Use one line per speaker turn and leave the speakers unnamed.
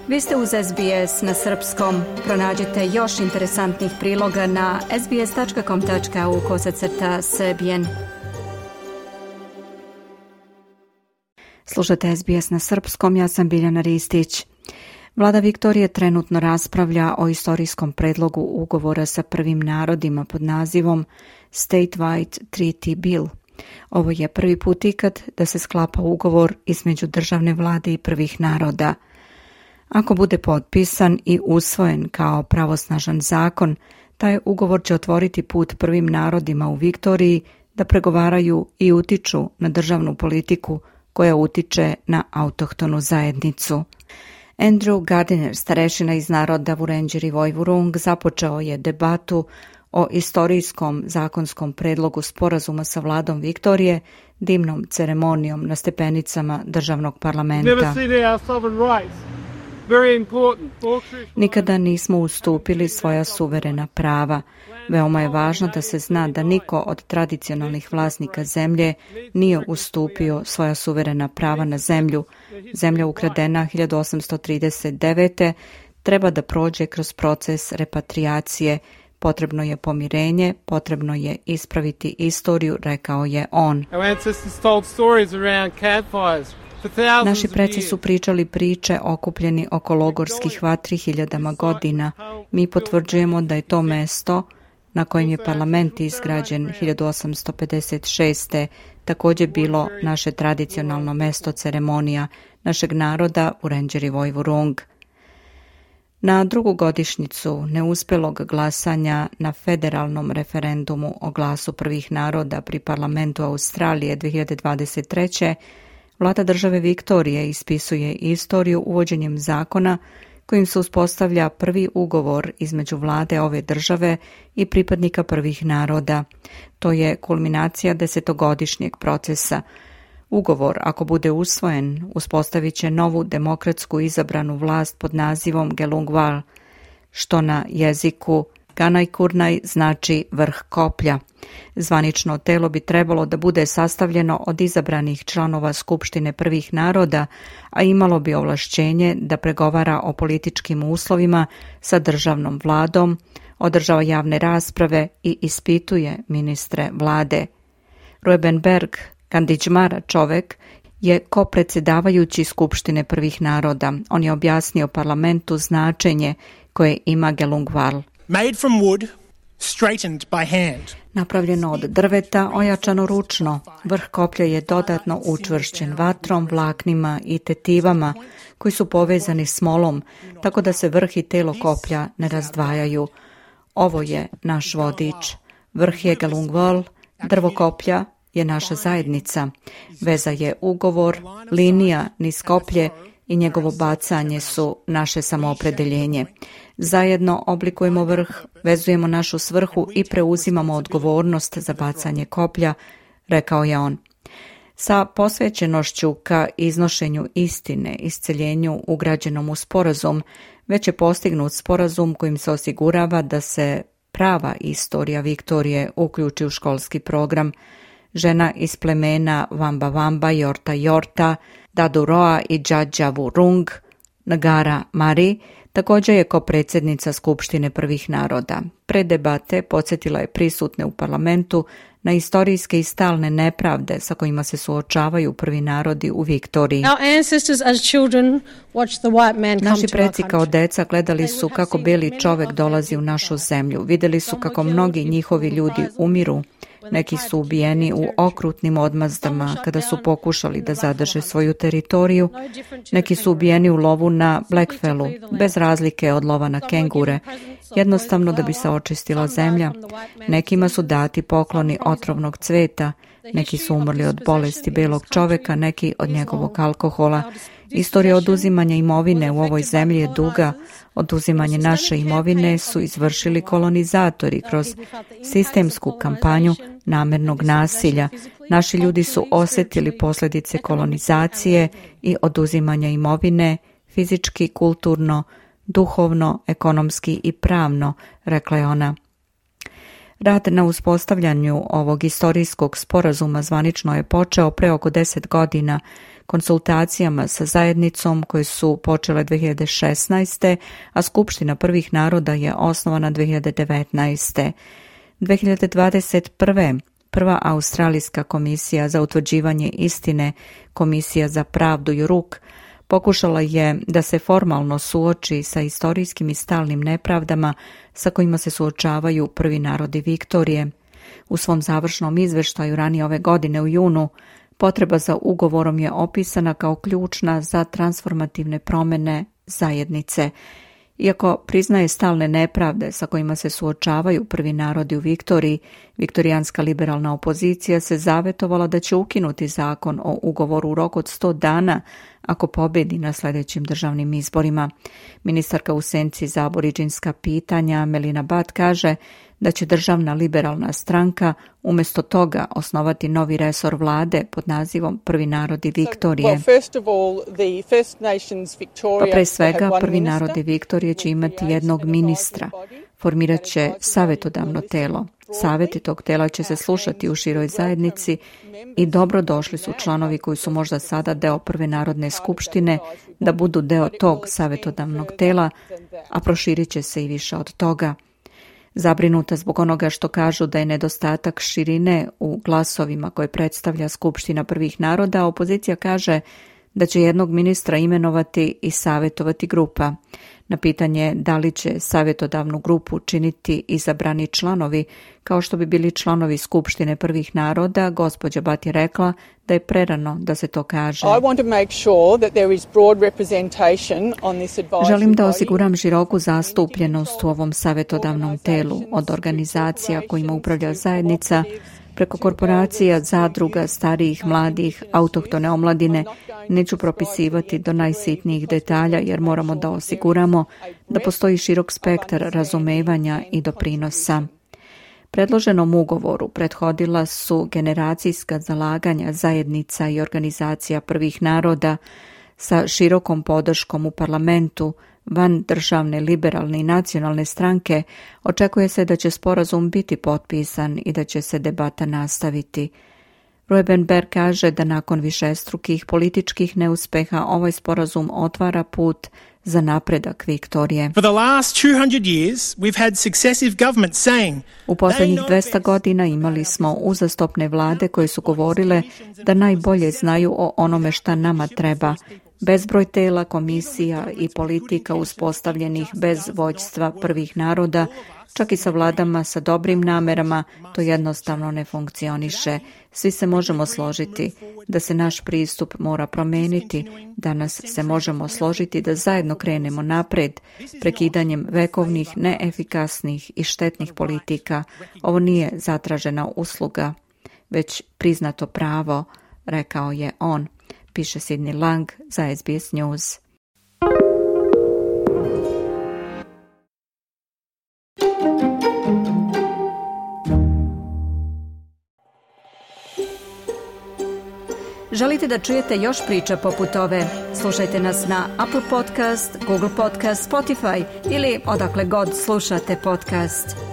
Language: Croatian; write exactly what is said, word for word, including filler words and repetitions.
Vi ste uz S B S na srpskom. Pronađite još interesantnih priloga na sbs.com tačka au kosacrta srbijen. Slušate S B S na srpskom, ja sam Biljana Ristić. Vlada Viktorije trenutno raspravlja o istorijskom predlogu ugovora sa prvim narodima pod nazivom Statewide Treaty Bill. Ovo je prvi put ikad da se sklapa ugovor između državne vlade i prvih naroda. Ako bude potpisan i usvojen kao pravosnažan zakon, taj ugovor će otvoriti put prvim narodima u Viktoriji da pregovaraju i utiču na državnu politiku koja utiče na autohtonu zajednicu. Andrew Gardiner, starešina iz naroda Wurundjeri Woi-wurrung, započeo je debatu o istorijskom zakonskom predlogu sporazuma sa vladom Viktorije dimnom ceremonijom na stepenicama državnog parlamenta. Nikada nismo ustupili svoja suverena prava. Veoma je važno da se zna da niko od tradicionalnih vlasnika zemlje nije ustupio svoja suverena prava na zemlju. Zemlja ukradena hiljadu osamsto trideset devete. treba da prođe kroz proces repatriacije. Potrebno je pomirenje, potrebno je ispraviti istoriju, rekao je on. Naši preci su pričali priče okupljeni oko logorskih vatri hiljadama godina. Mi potvrđujemo da je to mesto na kojem je parlament izgrađen hiljadu osamsto pedeset šeste. također bilo naše tradicionalno mesto ceremonija našeg naroda Wurundjeri Woi-wurrung. Na drugu godišnjicu neuspjelog glasanja na federalnom referendumu o glasu prvih naroda pri parlamentu Australije dvije hiljade dvadeset treće. Vlada države Viktorije ispisuje istoriju uvođenjem zakona kojim se uspostavlja prvi ugovor između vlade ove države i pripadnika prvih naroda. To je kulminacija desetogodišnjeg procesa. Ugovor, ako bude usvojen, uspostavit će novu demokratsku izabranu vlast pod nazivom Gelungwal, što na jeziku Ganai-Kurnai znači vrh koplja. Zvanično telo bi trebalo da bude sastavljeno od izabranih članova Skupštine prvih naroda, a imalo bi ovlašćenje da pregovara o političkim uslovima sa državnom vladom, održava javne rasprave i ispituje ministre vlade. Rueben Berg, Kandidžmara čovek, je kopredsjedavajući Skupštine prvih naroda. On je objasnio parlamentu značenje koje ima Gelungwal.
Made from wood, straightened by hand.
Napravljeno od drveta, ojačano ručno. Vrh koplja je dodatno učvršćen vatrom, vlaknima i tetivama koji su povezani smolom, tako da se vrh i telo koplja ne razdvajaju. Ovo je naš vodič. Vrh je Gelungwal, drvo koplja je naša zajednica. Veza je ugovor, linija niz koplje i njegovo bacanje su naše samoopredeljenje. Zajedno oblikujemo vrh, vezujemo našu svrhu i preuzimamo odgovornost za bacanje koplja, rekao je on. Sa posvećenošću ka iznošenju istine, isceljenju ugrađenom u sporazum, već je postignut sporazum kojim se osigurava da se prava istorija Viktorije uključi u školski program. Žena iz plemena Wamba Wamba, Yorta Yorta, Daduroa i Džadža Wurrung, Ngara Mari, također je ko predsjednica Skupštine prvih naroda. Pre debate podsjetila je prisutne u parlamentu na istorijske i stalne nepravde sa kojima se suočavaju prvi narodi u Viktoriji. Naši preci kao deca gledali su kako beli čovek dolazi u našu zemlju. Vidjeli su kako mnogi njihovi ljudi umiru. Neki su ubijeni u okrutnim odmazdama kada su pokušali da zadrže svoju teritoriju. Neki su ubijeni u lovu na Blackfellu, bez razlike od lova na kengure, jednostavno da bi se očistila zemlja. Nekima su dati pokloni otrovnog cveta, neki su umrli od bolesti belog čoveka, neki od njegovog alkohola. Istorija oduzimanja imovine u ovoj zemlji je duga. Oduzimanje naše imovine su izvršili kolonizatori kroz sistemsku kampanju namernog nasilja. Naši ljudi su osjetili posljedice kolonizacije i oduzimanja imovine fizički, kulturno, duhovno, ekonomski i pravno, rekla je ona. Rad na uspostavljanju ovog istorijskog sporazuma zvanično je počeo pre oko deset godina, konsultacijama sa zajednicom koje su počele dvije hiljade šesnaeste. a Skupština prvih naroda je osnovana dvije hiljade devetnaeste. dvije hiljade dvadeset prve. prva Australijska komisija za utvrđivanje istine, Komisija za pravdu i ruk, pokušala je da se formalno suoči sa istorijskim i stalnim nepravdama sa kojima se suočavaju prvi narodi Viktorije. U svom završnom izveštaju ranije ove godine u junu, potreba za ugovorom je opisana kao ključna za transformativne promjene zajednice. Iako priznaje stalne nepravde sa kojima se suočavaju prvi narodi u Viktoriji, viktorijanska liberalna opozicija se zavetovala da će ukinuti zakon o ugovoru u roku od sto dana ako pobedi na sljedećim državnim izborima. Ministarka u senci za aboriđinska pitanja Melina Butt kaže da će državna liberalna stranka umjesto toga osnovati novi resor vlade pod nazivom Prvi narodi Viktorije. Pa pre svega, Prvi narodi Viktorije će imati jednog ministra. Formirat će savjetodavno telo. Savjeti tog tela će se slušati u široj zajednici i dobro došli su članovi koji su možda sada deo Prve narodne skupštine da budu deo tog savjetodavnog tela, a proširit će se i više od toga. Zabrinuta zbog onoga što kažu da je nedostatak širine u glasovima koje predstavlja Skupština prvih naroda, opozicija kaže da će jednog ministra imenovati i savjetovati grupa. Na pitanje da li će savjetodavnu grupu činiti izabrani članovi, kao što bi bili članovi Skupštine prvih naroda, gospođa Butt je rekla da je prerano da se to kaže. Želim da osiguram široku zastupljenost u ovom savjetodavnom telu, od organizacija kojima upravlja zajednica, preko korporacija, zadruga, starijih, mladih, autohtone omladine. Neću propisivati do najsitnijih detalja jer moramo da osiguramo da postoji širok spektar razumevanja i doprinosa. Predloženom ugovoru prethodila su generacijska zalaganja zajednica i organizacija prvih naroda sa širokom podrškom u parlamentu. Van državne, liberalne i nacionalne stranke očekuje se da će sporazum biti potpisan i da će se debata nastaviti. Rueben Berg kaže da nakon višestrukih političkih neuspeha ovaj sporazum otvara put za napredak Viktorije.
For the last two hundred years, we've had successive governments saying
U posljednjih dvesta godina imali smo uzastopne vlade koje su govorile da najbolje znaju o onome šta nama treba. Bezbroj tela, komisija i politika uspostavljenih bez vođstva prvih naroda, čak i sa vladama sa dobrim namerama, to jednostavno ne funkcioniše. Svi se možemo složiti da se naš pristup mora promeniti. Danas se možemo složiti da zajedno krenemo napred, prekidanjem vekovnih, neefikasnih i štetnih politika. Ovo nije zatražena usluga, već priznato pravo, rekao je on. Piše Sidney Lang za S B S News. Želite da čujete još priča poput ove? Slušajte nas na Apple Podcast, Google Podcast, Spotify ili odakle god slušate podcast.